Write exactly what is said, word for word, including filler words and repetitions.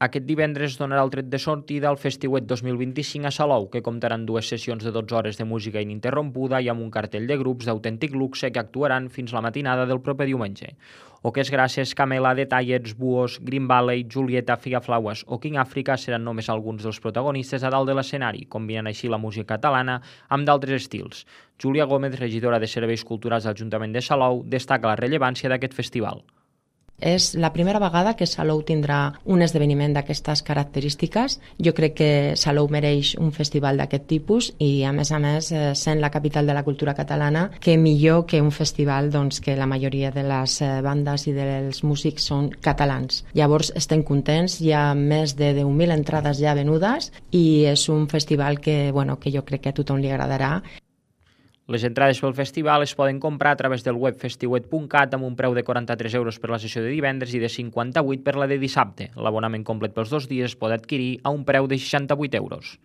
Aquest divendres donarà el tret de sortida al Festiuet dos mil vint-i-cinc a Salou, que comptarà amb dues sessions de dotze hores de música ininterrompuda i amb un cartell de grups d'autèntic luxe que actuaran fins la matinada del proper diumenge. Oques Grasses, Camela, The Tallets, Buos, Green Valley, Julieta, Figaflaues o King Africa seran només alguns dels protagonistes a dalt de l'escenari, combinant així la música catalana amb d'altres estils. Júlia Gómez, regidora de Serveis Culturals de l'Ajuntament de Salou, destaca la rellevància d'aquest festival. És la primera vegada que Salou tindrà un esdeveniment d'aquestes característiques. Jo crec que Salou mereix un festival d'aquest tipus i, a més a més, sent la capital de la cultura catalana, que millor que un festival doncs, que la majoria de les bandes i dels músics són catalans. Llavors estem contents, hi ha més de deu mil entrades ja venudes i és un festival que, bueno, que jo crec que a tothom li agradarà. Les entrades pel festival es poden comprar a través del web festiuet punt cat amb un preu de quaranta-tres euros per la sessió de divendres i de cinquanta-vuit per la de dissabte. L'abonament complet pels dos dies es pot adquirir a un preu de seixanta-vuit euros.